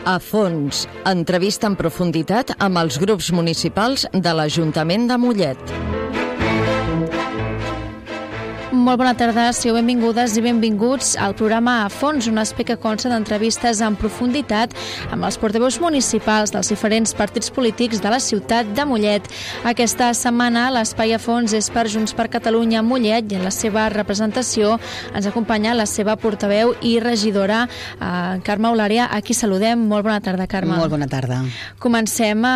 A fons, entrevista en profunditat amb els grups municipals de l'Ajuntament de Mollet. Molt bona tarda, sigueu benvingudes i benvinguts al programa A Fons, un espai que consta d'entrevistes en profunditat amb els portaveus municipals dels diferents partits polítics de la ciutat de Mollet. Aquesta setmana l'espai A Fons és per Junts per Catalunya Mollet i en la seva representació ens acompanya la seva portaveu i regidora, Carme Eulària, a qui saludem. Molt bona tarda, Carme. Molt bona tarda. Comencem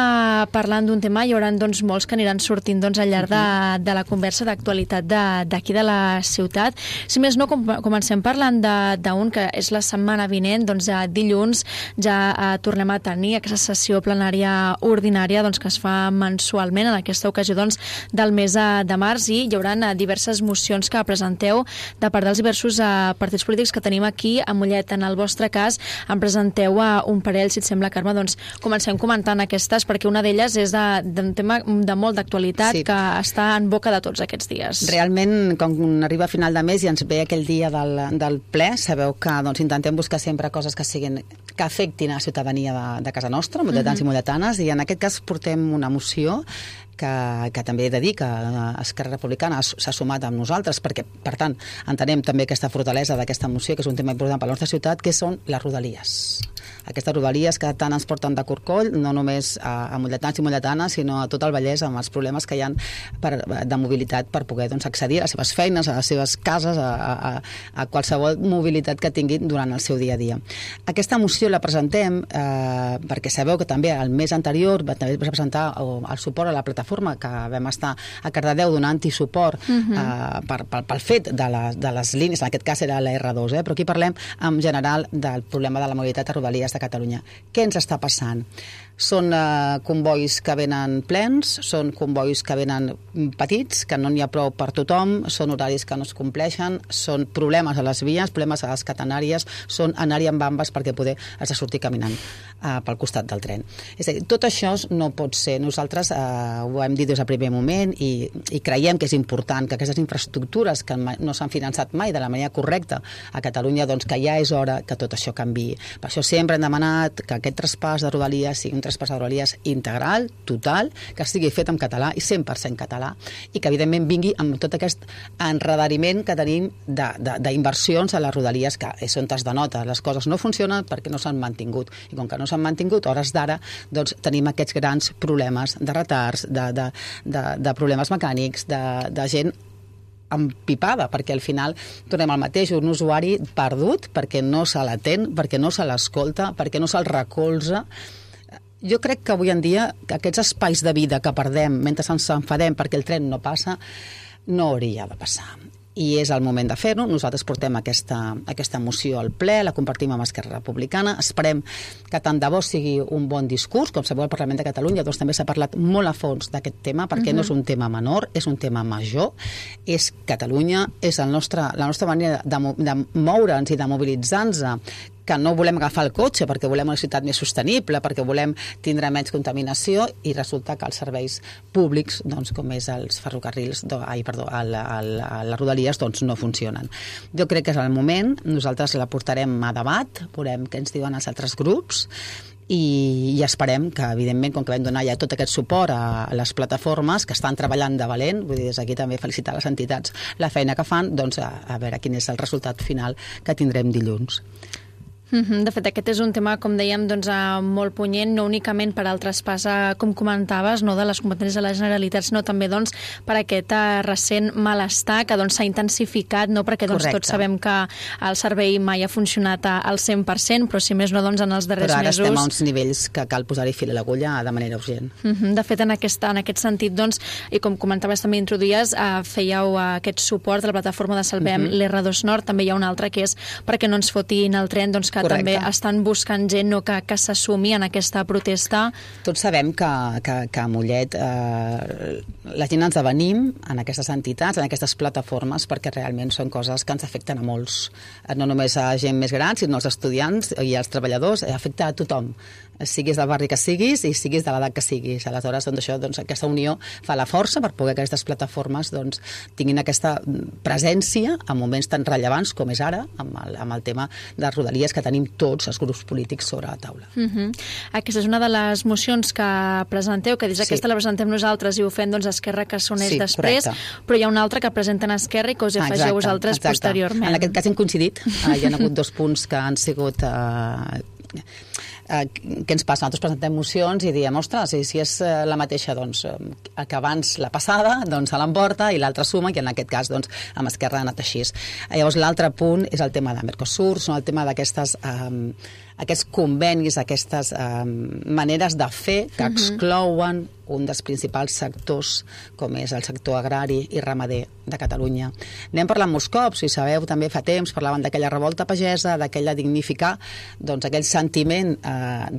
parlant d'un tema, hi haurà molts que aniran sortint al llarg de la conversa d'actualitat d'aquí de la ciutat. Si més no, comencem parlant d'un que és la setmana vinent, dilluns ja tornem a tenir aquesta sessió plenària ordinària que es fa mensualment, en aquesta ocasió del mes de març, i hi haurà diverses mocions que presenteu de part dels diversos partits polítics que tenim aquí a Mollet. En el vostre cas, en presenteu un parell, si et sembla, Carme, comencem comentant aquestes, perquè una d'elles és d'un tema de molt d'actualitat, sí, que està en boca de tots aquests dies. Realment, quan arriba a final de mes i ens ve aquell dia del ple, sabeu que intentem buscar sempre coses que afectin a la ciutadania de casa nostra, molletans i molletanes, i en aquest cas portem una moció que també he de dir que Esquerra Republicana s'ha sumat amb nosaltres, perquè, per tant, entenem també aquesta fortalesa d'aquesta moció, que és un tema important per la nostra ciutat, que són les rodalies. Aquestes rodalies que tant ens porten de corcoll, no només a molletans i molletanes, sinó a tot el Vallès, amb els problemes que hi ha de mobilitat per poder accedir a les seves feines, a les seves cases, a qualsevol mobilitat que tinguin durant el seu dia a dia. Aquesta moció la presentem perquè sabeu que també el mes anterior també va presentar el suport a la plataforma, que vam estar a Cardedeu donant-hi suport pel fet de les línies, en aquest cas era la R2, però aquí parlem en general del problema de la mobilitat a Rodalies de Catalunya. Què ens està passant? Són convois que venen plens, són convois que venen petits, que no n'hi ha prou per tothom, són horaris que no es compleixen, són problemes a les vies, problemes a les catenàries, són anar-hi amb bambes perquè poder has de sortir caminant pel costat del tren. És a dir, tot això no pot ser. Nosaltres ho hem dit des del primer moment i creiem que és important que aquestes infraestructures que no s'han finançat mai de la manera correcta a Catalunya, que ja és hora que tot això canviï. Per això sempre hem demanat que aquest traspàs de Rodalies sigui un traspàs de Rodalies integral, total, que estigui fet en català i 100% català, i que evidentment vingui amb tot aquest enredariment que tenim d'inversions a les Rodalies, que és on es denota. Les coses no funcionen perquè no s'han mantingut, i com que no s'han mantingut, a hores d'ara tenim aquests grans problemes de retards, de problemes mecànics, de gent empipada, perquè al final tornem al mateix, un usuari perdut perquè no se l'atén, perquè no se l'escolta, perquè no se'l recolza. Jo crec que avui en dia aquests espais de vida que perdem mentre ens enfadem perquè el tren no passa, no hauria de passar. I és el moment de fer-ho. Nosaltres portem aquesta moció al ple, la compartim amb Esquerra Republicana. Esperem que tant de bo sigui un bon discurs. Com sabeu, al Parlament de Catalunya també s'ha parlat molt a fons d'aquest tema, perquè no és un tema menor, és un tema major. És Catalunya, és la nostra manera de moure'ns i de mobilitzar-nos, que no volem agafar el cotxe perquè volem una ciutat més sostenible, perquè volem tindre menys contaminació, i resulta que els serveis públics, com és els ferrocarrils, les Rodalies, no funcionen. Jo crec que és el moment, nosaltres la portarem a debat, veurem què ens diuen els altres grups, i esperem que, evidentment, com que vam donar ja tot aquest suport a les plataformes que estan treballant de valent, vull dir, des d'aquí també felicitar les entitats la feina que fan, a veure quin és el resultat final que tindrem dilluns. De fet, aquest és un tema, com dèiem, molt punyent, no únicament per al traspàs, com comentaves, de les competències de la Generalitat, sinó també per aquest recent malestar que s'ha intensificat, perquè tots sabem que el servei mai ha funcionat al 100%, però si més no, en els darrers mesos... Però ara estem a uns nivells que cal posar-hi fil a l'agulla de manera urgent. De fet, en aquest sentit, i com comentaves també introduïes, fèieu aquest suport de la plataforma de Salvem l'R2 Nord, també hi ha un altre que és perquè no ens fotin el tren, que també estan buscant gent que s'assumi en aquesta protesta. Tots sabem que a Mollet la gent ens avenim en aquestes entitats, en aquestes plataformes, perquè realment són coses que ens afecten a molts. No només a gent més gran, sinó als estudiants i als treballadors, afecta a tothom. siguis del barri que siguis i siguis de l'edat que siguis. Aleshores, aquesta unió fa la força per poder que aquestes plataformes tinguin aquesta presència en moments tan rellevants com és ara, amb el tema de Rodalies que tenim tots els grups polítics sobre la taula. Aquesta és una de les mocions que presenteu, que dius aquesta la presentem nosaltres i ho fem Esquerra, que s'uneix després, però hi ha una altra que presenten Esquerra i que us afegeu vosaltres posteriorment. En aquest cas hem coincidit, hi ha hagut 2 punts que han sigut... què ens passa? Nosaltres presentem mocions i diem, ostres, si és la mateixa que abans la passada, se l'emporta i l'altra suma, i en aquest cas amb Esquerra ha anat així. Llavors l'altre punt és el tema de Mercosur, són el tema d'aquests convenis, aquestes maneres de fer que exclouen un dels principals sectors com és el sector agrari i ramader de Catalunya. N'hem parlat molts cops, i sabeu, també fa temps parlaven d'aquella revolta pagesa, d'aquella dignificar aquell sentiment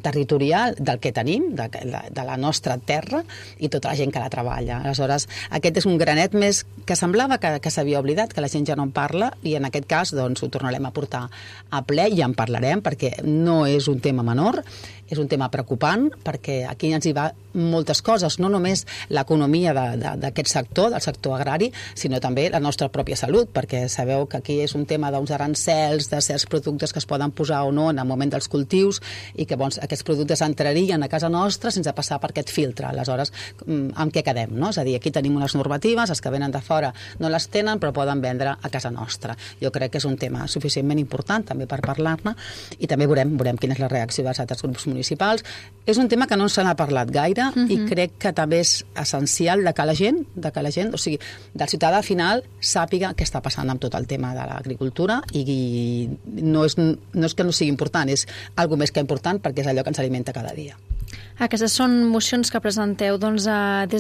territorial del que tenim, de la nostra terra i tota la gent que la treballa. Aleshores, aquest és un granet més que semblava que s'havia oblidat, que la gent ja no en parla, i en aquest cas ho tornarem a portar a ple i en parlarem, perquè no és un tema menor, és un tema preocupant, perquè aquí ens hi va moltes coses, no només l'economia d'aquest sector, del sector agrari, sinó també la nostra pròpia salut, perquè sabeu que aquí és un tema d'uns arancels, de certs productes que es poden posar o no en el moment dels cultius, i que aquests productes entrarien a casa nostra sense passar per aquest filtre. Aleshores, amb què quedem? No? És a dir, aquí tenim unes normatives, els que venen de fora no les tenen, però poden vendre a casa nostra. Jo crec que és un tema suficientment important també per parlar-ne, i també veurem quina és la reacció dels altres grups municipals. És un tema que no se n'ha parlat gaire, i crec que també és essencial que la gent, o sigui, del ciutadà final, sàpiga què està passant amb tot el tema de l'agricultura, i no és que no sigui important, és algo més que important, perquè és allò que ens alimenta cada dia. Aquestes són mocions que presenteu des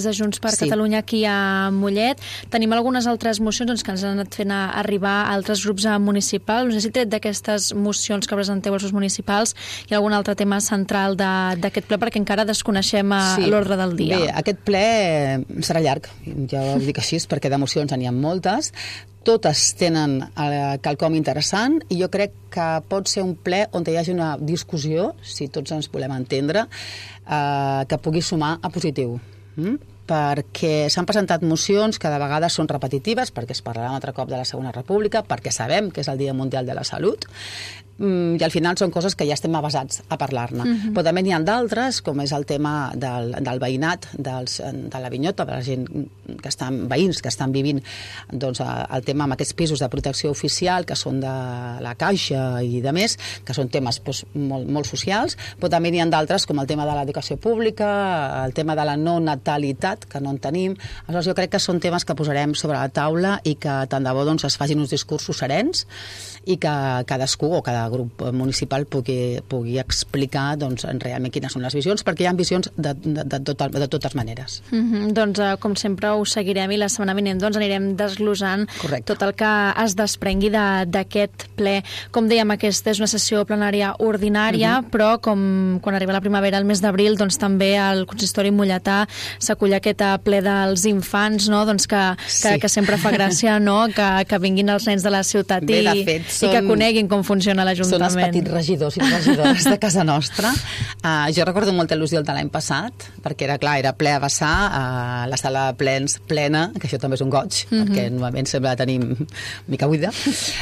de Junts per Catalunya aquí a Mollet. Tenim algunes altres mocions que ens han anat fent arribar a altres grups municipals. No sé si tret d'aquestes mocions que presenteu als grups municipals hi ha algun altre tema central d'aquest ple, perquè encara desconeixem l'ordre del dia. Bé, aquest ple serà llarg, ja ho dic així, perquè de mocions n'hi ha moltes. Totes tenen quelcom interessant, i jo crec que pot ser un ple on hi hagi una discussió, si tots ens volem entendre, que pugui sumar a positiu. Perquè s'han presentat mocions que de vegades són repetitives, perquè es parlarà un altre cop de la Segona República, perquè sabem que és el Dia Mundial de la Salut, i al final són coses que ja estem avasats a parlar-ne. Però també n'hi ha d'altres, com és el tema del veïnat, de la vinyota, de la gent que estan veïns, que estan vivint el tema amb aquests pisos de protecció oficial, que són de la Caixa i de més, que són temes molt socials, però també n'hi ha d'altres, com el tema de l'educació pública, el tema de la no natalitat, que no en tenim. Aleshores, jo crec que són temes que posarem sobre la taula, i que tant de bo es facin uns discursos serens, i que cadascú o cada grup municipal pugui explicar realment quines són les visions, perquè hi ha visions de totes maneres. Com sempre ho seguirem, i la setmana vinent anirem desglossant tot el que es desprengui d'aquest ple. Com dèiem, aquesta és una sessió plenària ordinària, però com quan arriba la primavera, el mes d'abril, també al consistori molletà s'acull aquest ple dels infants, que sempre fa gràcia que vinguin els nens de la ciutat i que coneguin com funciona l'Ajuntament. Són els petits regidors i regidores de casa nostra. Jo recordo molta il·lusió de l'any passat, perquè era ple a vessar, la sala de plens plena, que això també és un goig, perquè normalment sempre la tenim mica buida.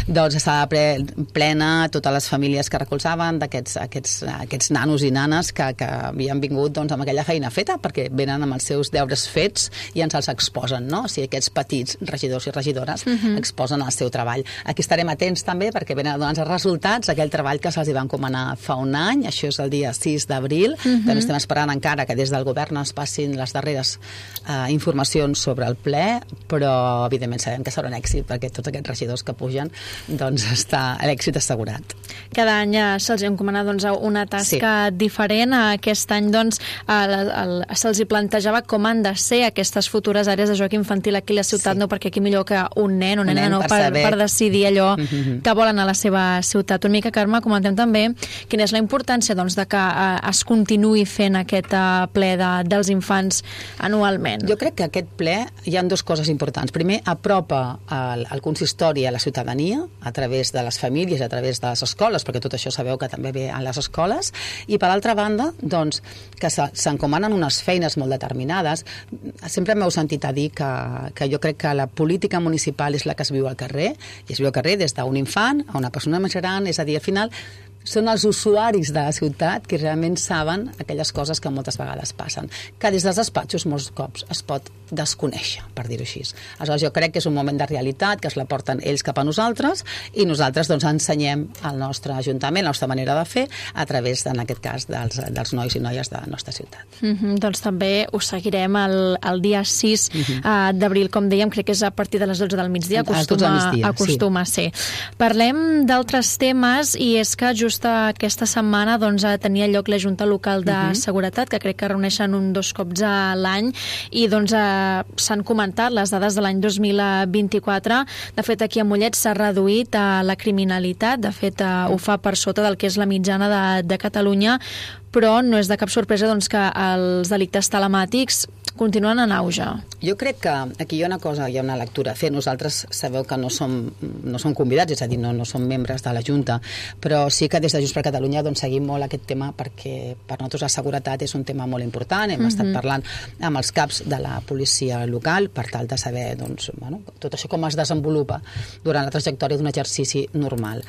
La sala plena, totes les famílies que recolzaven, aquests nanos i nanes que havien vingut amb aquella feina feta, perquè venen amb els seus deures fets i ens els exposen, no? O sigui, aquests petits regidors i regidores exposen el seu treball. Aquí estarem atents també, perquè venen a donar els resultats, aquell treball que se'ls va encomanar fa un any, això és el dia 6 d'abril. També estem esperant encara que des del govern es passin les darreres informacions sobre el ple, però evidentment sabem que serà un èxit, perquè tots aquests regidors que pugen, està l'èxit assegurat. Cada any se'ls encomana una tasca diferent. Aquest any se'ls plantejava com han de ser aquestes futures àrees de joc infantil aquí a la ciutat, no perquè aquí millor que un nen o nena per decidir allò que volen a la seva ciutat. una mica, Carme, comentem també quina és la importància doncs, de que es continuï fent aquest ple dels infants anualment. Jo crec que aquest ple hi ha dues coses importants. Primer, apropa el consistori a la ciutadania a través de les famílies, a través de les escoles, perquè tot això sabeu que també ve a les escoles, i per altra banda, doncs, que s'encomanen unes feines molt determinades. Sempre m'heu sentit a dir que jo crec que la política municipal és la que es viu al carrer, i es viu al carrer des d'un infant a una persona més gran, és a dir, al final són els usuaris de la ciutat que realment saben aquelles coses que moltes vegades passen, que des dels despatxos molts cops es pot desconèixer, per dir-ho així. Aleshores, jo crec que és un moment de realitat, que es la porten ells cap a nosaltres, i nosaltres doncs ensenyem al nostre ajuntament, la nostra manera de fer, a través, en aquest cas, dels nois i noies de la nostra ciutat. Doncs també us seguirem el dia 6 d'abril, com dèiem, crec que és a partir de les 12 del migdia, acostuma a ser. Parlem d'altres temes, i és que just aquesta setmana doncs, tenia lloc la Junta Local de Seguretat, que crec que reuneixen 2 cops a l'any, i doncs s'han comentat les dades de l'any 2024. De fet, aquí a Mollet s'ha reduït la criminalitat, de fet ho fa per sota del que és la mitjana de Catalunya, però no és de cap sorpresa doncs, que els delictes telemàtics continuen en auge. Jo crec que aquí hi ha una cosa, hi ha una lectura a fer. Nosaltres sabeu que no som convidats, és a dir, no som membres de la Junta, però sí que des de Junts per Catalunya doncs, seguim molt aquest tema, perquè per nosaltres la seguretat és un tema molt important. Hem estat parlant amb els caps de la policia local per tal de saber doncs, bueno, tot això com es desenvolupa durant la trajectòria d'un exercici normal.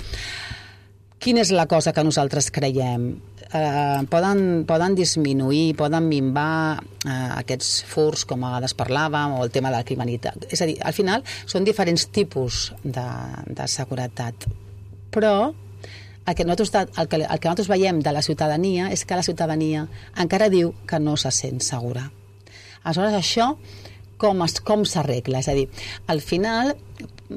Quina és la cosa que nosaltres creiem? Poden disminuir, poden minvar aquests furs, com a vegades parlàvem, o el tema de la criminalitat. És a dir, al final són diferents tipus de seguretat, però el que nosaltres veiem de la ciutadania és que la ciutadania encara diu que no se sent segura. Aleshores, això com s'arregla? És a dir, al final,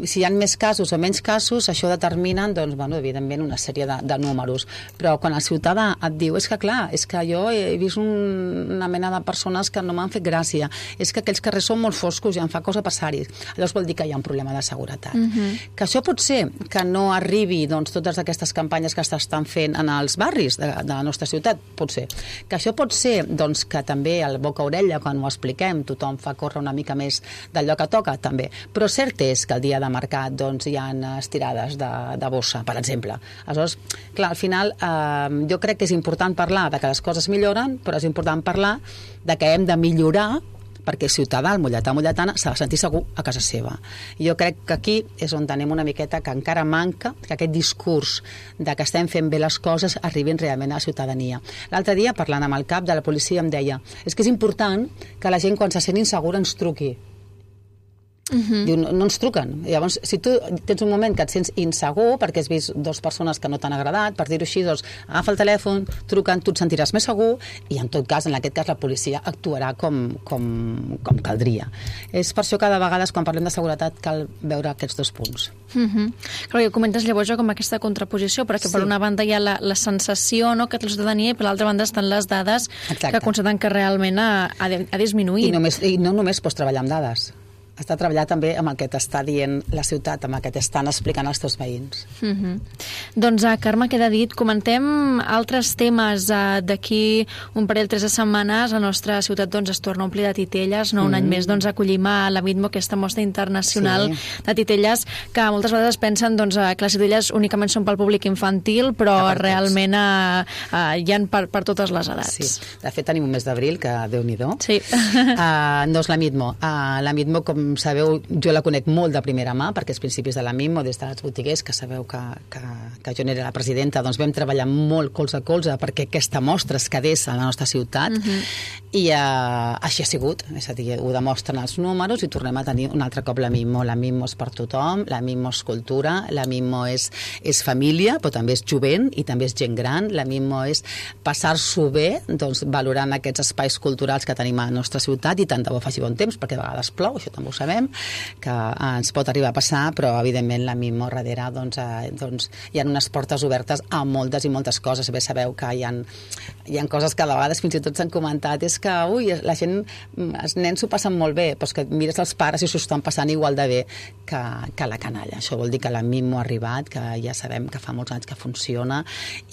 si hi ha més casos o menys casos, això determina, doncs, bueno, evidentment, una sèrie de números. Però quan el ciutadà et diu, és que clar, és que jo he vist una mena de persones que no m'han fet gràcia, és que aquells carrers són molt foscos i em fa cosa passar-hi, llavors vol dir que hi ha un problema de seguretat. Que això pot ser que no arribi doncs, totes aquestes campanyes que s'estan fent en els barris de la nostra ciutat, pot ser. Que això pot ser doncs, que també al boca a orella, quan ho expliquem, tothom fa córrer una mica més d'allò que toca, també. Però cert és que el dia de mercat doncs, hi ha estirades de bossa, per exemple. Aleshores, clar, al final jo crec que és important parlar de que les coses milloren, però és important parlar de que hem de millorar perquè el ciutadà, el molletà o molletana, s'ha de sentir segur a casa seva. Jo crec que aquí és on tenim una miqueta que encara manca que aquest discurs de que estem fent bé les coses arribin realment a la ciutadania. L'altre dia, parlant amb el cap de la policia, em deia és que és important que la gent, quan se sent insegura, ens truqui. Diu, no ens truquen. Llavors, si tu tens un moment que et sents insegur perquè has vist 2 persones que no t'han agradat, per dir-ho així, doncs agafa el telèfon, truquen, tu et sentiràs més segur i en tot cas, en aquest cas, la policia actuarà com caldria. És per això que de vegades, quan parlem de seguretat, cal veure aquests 2 punts. Clar, comentes llavors com aquesta contraposició, perquè per una banda hi ha la sensació que té la ciutadania i per l'altra banda estan les dades que constaten que realment ha disminuït. I no només pots treballar amb dades. Has de treballar també amb el que t'està dient la ciutat, amb el que t'estan explicant els teus veïns. Doncs, Carme, queda dit. Comentem altres temes. D'aquí un parell, 3 setmanes, la nostra ciutat es torna a omplir de titelles. Un any més acollim a la Vidmo, aquesta mostra internacional de titelles, que moltes vegades pensen que les titelles únicament són pel públic infantil, però realment hi ha per totes les edats. Sí. De fet, tenim un mes d'abril, que Déu-n'hi-do. Sí. No és la Vidmo. La Vidmo, com sabeu, jo la conec molt de primera mà, perquè als principis de la MIM o des dels botiguers, que sabeu que jo n'era la presidenta, doncs vam treballar molt colze a colze perquè aquesta mostra es quedés a la nostra ciutat, i així ha sigut, és a dir, ho demostren els números i tornem a tenir un altre cop la MIMO. La MIMO és per tothom, la MIMO és cultura, la MIMO és família, però també és jovent i també és gent gran, la MIMO és passar-s'ho bé, doncs valorant aquests espais culturals que tenim a la nostra ciutat, i tant de bo faci bon temps, perquè a vegades plou, això també ho sabem, que ens pot arribar a passar, però evidentment la MIMO darrere hi ha unes portes obertes a moltes i moltes coses. Bé, sabeu que hi ha coses que a vegades fins i tot s'han comentat, és que, la gent, els nens s'ho passen molt bé, però que mires els pares i s'ho estan passant igual de bé que la canalla. Això vol dir que la Mimo ha arribat, que ja sabem que fa molts anys que funciona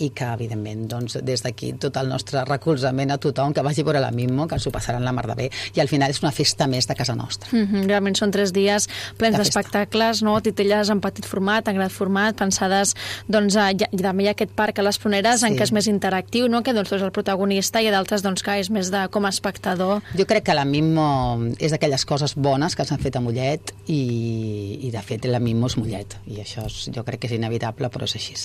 i que, evidentment, doncs, des d'aquí tot el nostre recolzament a tothom que vagi a veure la Mimo, que s'ho passaran la mar de bé, i al final és una festa més de casa nostra. Realment són 3 dies plens d'espectacles, no? Titelles en petit format, en gran format, pensades, doncs, també hi ha aquest parc a les Pruneres en què és més interactiu, no? Que doncs tu és el protagonista i d'altres doncs que és més com a espectador. Jo crec que la Mimo és d'aquelles coses bones que s'han fet a Mollet i de fet la Mimo és Mollet i això jo crec que és inevitable, però és així.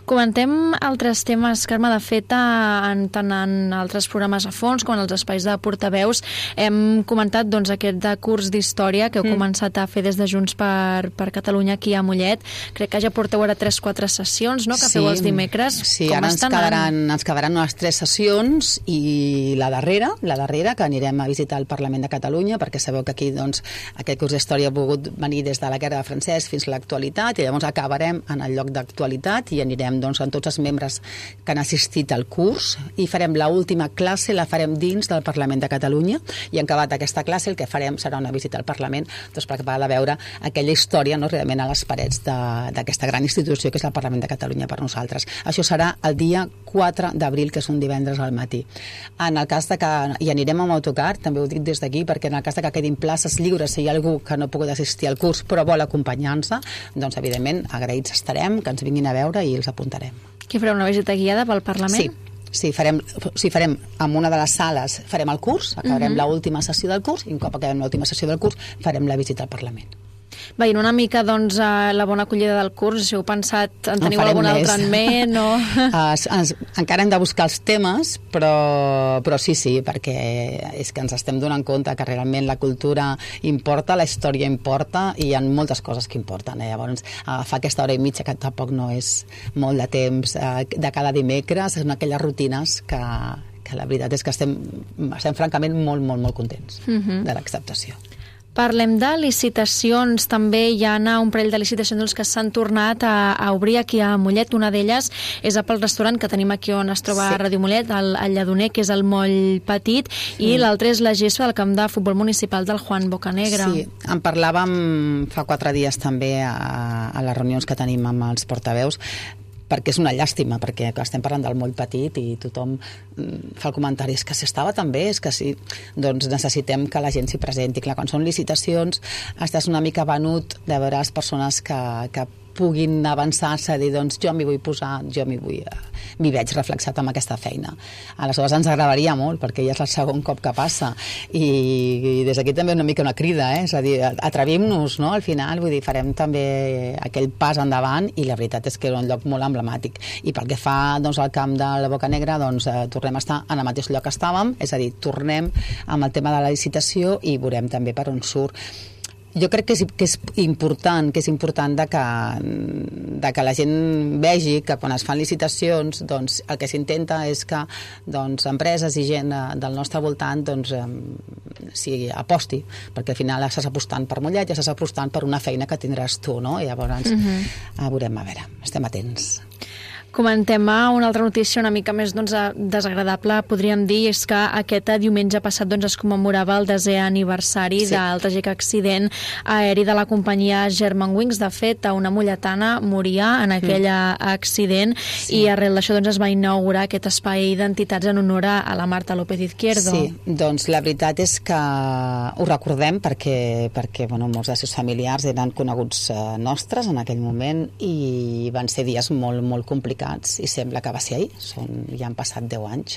Comentem altres temes, Carme, de fet tant en altres programes a fons com en els espais de portaveus. Hem comentat doncs aquest curs d'història que heu començat a fer des de Junts per Catalunya aquí a Mollet. Crec que ja porteu ara 3-4 sessions, no?, que feu els dimecres. Sí, ara ens quedaran unes 3 sessions i la darrera, que anirem a visitar el Parlament de Catalunya, perquè sabeu que aquí doncs, aquest curs d'història ha pogut venir des de la guerra de francès fins a l'actualitat, i llavors acabarem en el lloc d'actualitat i anirem doncs, amb tots els membres que han assistit al curs i farem l'última classe, la farem dins del Parlament de Catalunya, i en acabat aquesta classe el que farem serà una visita al Parlament doncs, per acabar de veure aquella història, no, realment a les parets d'aquesta gran institució que és el Parlament de Catalunya per nosaltres. Això serà el dia 4 d'abril, que és un divendres al matí. En el cas de que hi anirem amb autocar, també ho dic des d'aquí, perquè en el cas de que quedin places lliures, si hi ha algú que no ha pogut assistir al curs però vol acompanyar-nos, doncs evidentment agraïts estarem, que ens vinguin a veure i els apuntarem. Qui farà una visita guiada pel Parlament? Sí, farem en una de les sales, farem el curs, acabarem l'última sessió del curs, i un cop acabem l'última sessió del curs farem la visita al Parlament. Veient una mica doncs, la bona acollida del curs, si heu pensat, en teniu algun altre en ment? O... encara hem de buscar els temes, però sí, perquè és que ens estem donant compte que realment la cultura importa, la història importa i hi ha moltes coses que importen. Llavors, fa aquesta hora i mitja que tampoc no és molt de temps de cada dimecres, són aquelles rutines que la veritat és que estem francament molt, molt, molt contents de l'acceptació. Parlem de licitacions, també hi ha un parell de licitacions que s'han tornat a obrir aquí a Mollet. Una d'elles és pel restaurant que tenim aquí on es troba Ràdio Mollet, el Lledoner, que és el Moll Petit, i l'altre és la gespa del camp de futbol municipal del Juan Bocanegra. Sí, en parlàvem fa 4 dies també a les reunions que tenim amb els portaveus, perquè és una llàstima, perquè estem parlant del Moll Petit i tothom fa el comentari, és que si estava tan bé, és que sí, doncs necessitem que la gent s'hi presenti. Clar, quan són licitacions estàs una mica venut de veure les persones que puguin avançar-se, dir, doncs jo m'hi vull posar, m'hi veig reflexat amb aquesta feina. Aleshores ens agradaria molt, perquè ja és el segon cop que passa, i des d'aquí també una mica una crida, és a dir, atrevim-nos, no?, al final, vull dir, farem també aquell pas endavant, i la veritat és que és un lloc molt emblemàtic. I pel que fa doncs, al camp de la Bocanegra, doncs tornem a estar en el mateix lloc que estàvem, és a dir, tornem amb el tema de la licitació i veurem també per on surt. Jo crec que és important de que la gent vegi que quan es fan licitacions doncs, el que s'intenta és que doncs, empreses i gent del nostre voltant doncs, aposti, perquè al final estàs apostant per Mollet i estàs apostant per una feina que tindràs tu, no? I llavors veurem, a veure, estem atents. Comentem una altra notícia una mica més desagradable, podríem dir, és que aquest diumenge passat es commemorava el 10è aniversari del tràgic accident aeri de la companyia Germanwings. De fet, una molletana moria en aquell accident i arrel d'això es va inaugurar aquest espai d'entitats en honor a la Marta López Izquierdo. Sí, doncs la veritat és que ho recordem perquè molts dels seus familiars eren coneguts nostres en aquell moment i van ser dies molt, molt complicats i sembla que va ser ahir, ja han passat 10 anys.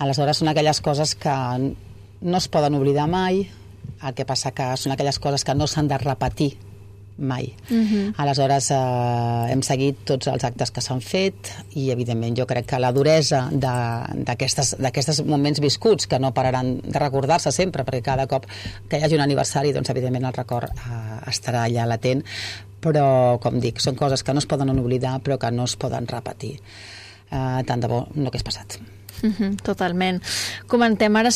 Aleshores són aquelles coses que no es poden oblidar mai, el que passa que són aquelles coses que no s'han de repetir mai. Aleshores hem seguit tots els actes que s'han fet i evidentment jo crec que la duresa d'aquests moments viscuts que no pararan de recordar-se sempre, perquè cada cop que hi hagi un aniversari doncs evidentment el record estarà allà latent, però com dic, són coses que no es poden oblidar però que no es poden repetir. Tant de bo no hagués passat. Totalment. Comentem ara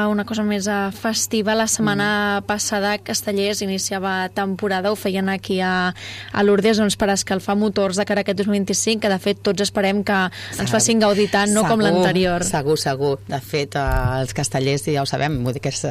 una cosa més festiva. La setmana passada Castellers iniciava temporada, ho feien aquí a Lourdes per escalfar motors de cara a aquest 2025, que de fet tots esperem que ens facin gaudir tant, no com l'anterior. Segur. De fet, els castellers ja ho sabem, vull dir que és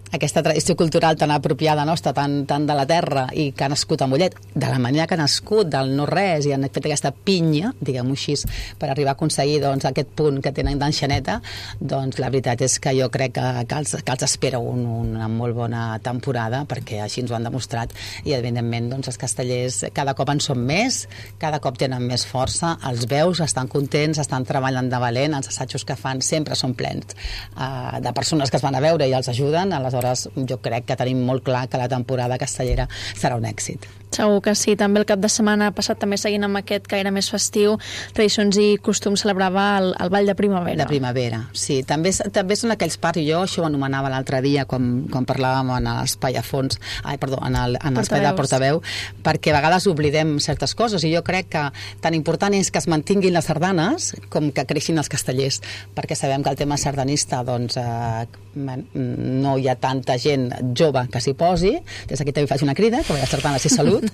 aquesta tradició cultural tan apropiada nostra, tan de la terra, i que ha nascut a Mollet, de la manera que ha nascut, del no-res, i han fet aquesta pinya, diguem-ho així, per arribar a aconseguir aquest punt que tenen d'enxaneta, doncs la veritat és que jo crec que els espera una molt bona temporada, perquè així ens ho han demostrat, i evidentment els castellers cada cop en són més, cada cop tenen més força, els veus, estan contents, estan treballant de valent, els assajos que fan sempre són plens de persones que es van a veure i els ajuden. Aleshores jo crec que tenim molt clar que la temporada castellera serà un èxit. Segur que sí. També el cap de setmana passat, també seguint amb aquest caire més festiu, Tradicions i Costums celebrava el Ball de Primavera. De primavera, sí. També són aquells parts, jo això ho anomenava l'altre dia quan parlàvem en l'espai a fons, en l'espai de portaveu, perquè a vegades oblidem certes coses, i jo crec que tan important és que es mantinguin les sardanes com que creixin els castellers, perquè sabem que el tema sardanista no hi ha tanta gent jove que s'hi posi. Des d'aquí també faig una crida, que la sardana és salut,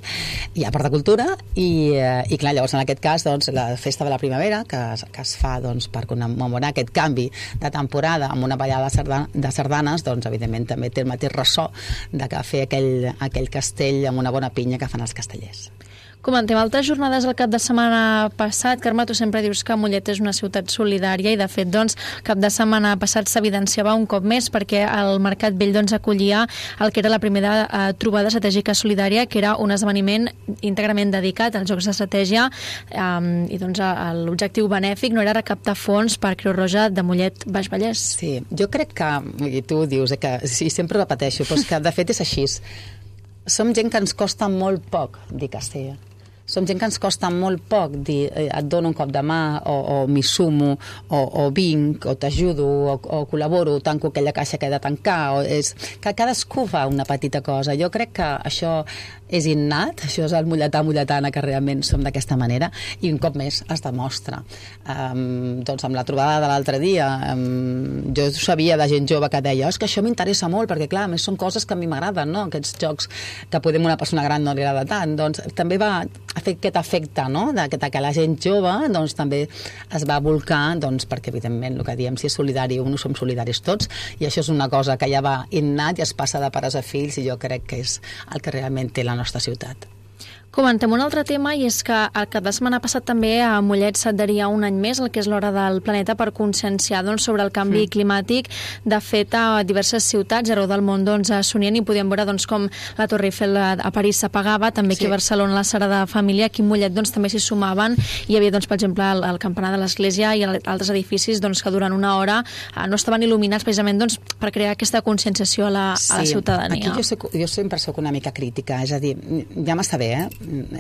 i a part de cultura, i clar, llavors en aquest cas la festa de la primavera que es fa per commemorar aquest canvi de temporada amb una ballada de sardanes, evidentment també té el mateix ressò de que fer aquell castell amb una bona pinya que fan els castellers. Comentem altres jornades el cap de setmana passat. Carme, tu sempre dius que Mollet és una ciutat solidària, i de fet, cap de setmana passat s'evidenciava un cop més, perquè el Mercat Vell acollia el que era la primera trobada estratègica solidària, que era un esdeveniment íntegrament dedicat als jocs d'estratègia, i l'objectiu benèfic no era recaptar fons per Creu Roja de Mollet Baix Vallès. Sí, jo crec que, i tu dius que sí, sempre repeteixo, però és que de fet és així. Som gent que ens costa molt poc dir Castella. Som gent que ens costa molt poc dir et dono un cop de mà, o m'hi sumo, o vinc, o t'ajudo, o col·laboro, tanco aquella caixa que he de tancar, que cadascú fa una petita cosa. Jo crec que això és innat, això és el molletà-molletana, que realment som d'aquesta manera, i un cop més es demostra. Amb la trobada de l'altre dia, jo sabia de gent jove que deia és que això m'interessa molt, perquè clar, a més són coses que a mi m'agraden, no? Aquests jocs que podem una persona gran no li agrada tant. També va fer aquest efecte, no? que la gent jove també es va volcar, perquè evidentment el que diem, si és solidari no som solidaris tots, i això és una cosa que ja va innat i es passa de pares a fills, i jo crec que és el que realment té la nostra ciutat. Comentem un altre tema, i és que el cap de setmana passat també a Mollet s'adheria un any més el que és l'Hora del Planeta per conscienciar sobre el canvi climàtic. De fet, a diverses ciutats arreu del món s'unien, i podíem veure com la Torre Eiffel a París s'apagava, també aquí a Barcelona la Sagrada Família, aquí a Mollet també s'hi sumaven. Hi havia, per exemple, el campanar de l'església i altres edificis que durant una hora no estaven il·luminats precisament per crear aquesta conscienciació a la ciutadania. Aquí jo sempre soc una mica crítica, és a dir, ja m'està bé,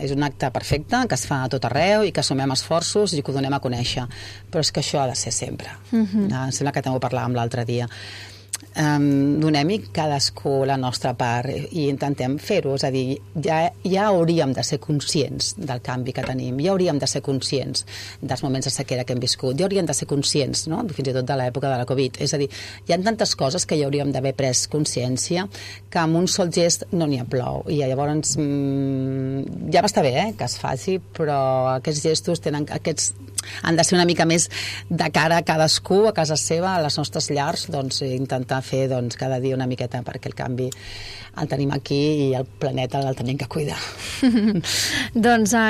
és un acte perfecte, que es fa a tot arreu i que sumem esforços i que ho donem a conèixer, però és que això ha de ser sempre. Em sembla que també ho parlàvem l'altre dia. Donem-hi cadascú la nostra part i intentem fer-ho, és a dir, ja hauríem de ser conscients del canvi que tenim, ja hauríem de ser conscients dels moments de sequera que hem viscut, ja hauríem de ser conscients, no? Fins i tot de l'època de la Covid, és a dir, hi ha tantes coses que ja hauríem d'haver pres consciència que amb un sol gest no n'hi ha prou, i llavors ja m'està bé que es faci, però aquests gestos han de ser una mica més de cara a cadascú, a casa seva, a les nostres llars, intentar fer cada dia una miqueta, perquè el canvi el tenim aquí i el planeta el tenim que cuidar.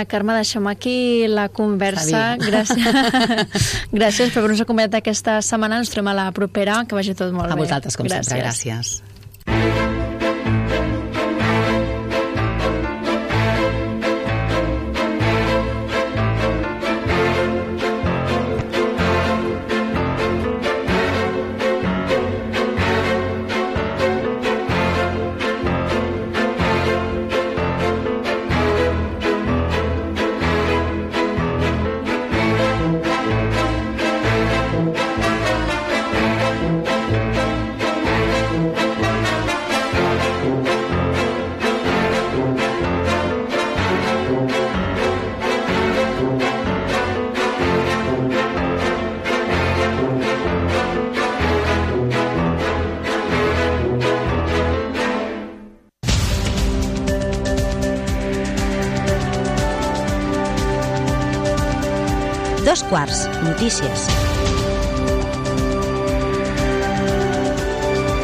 Carme, deixem aquí la conversa. Gràcies per haver-nos acompanyat aquesta setmana. Ens trobem a la propera. Que vagi tot molt bé. A vosaltres, com sempre. Gràcies. 2 quarts, notícies.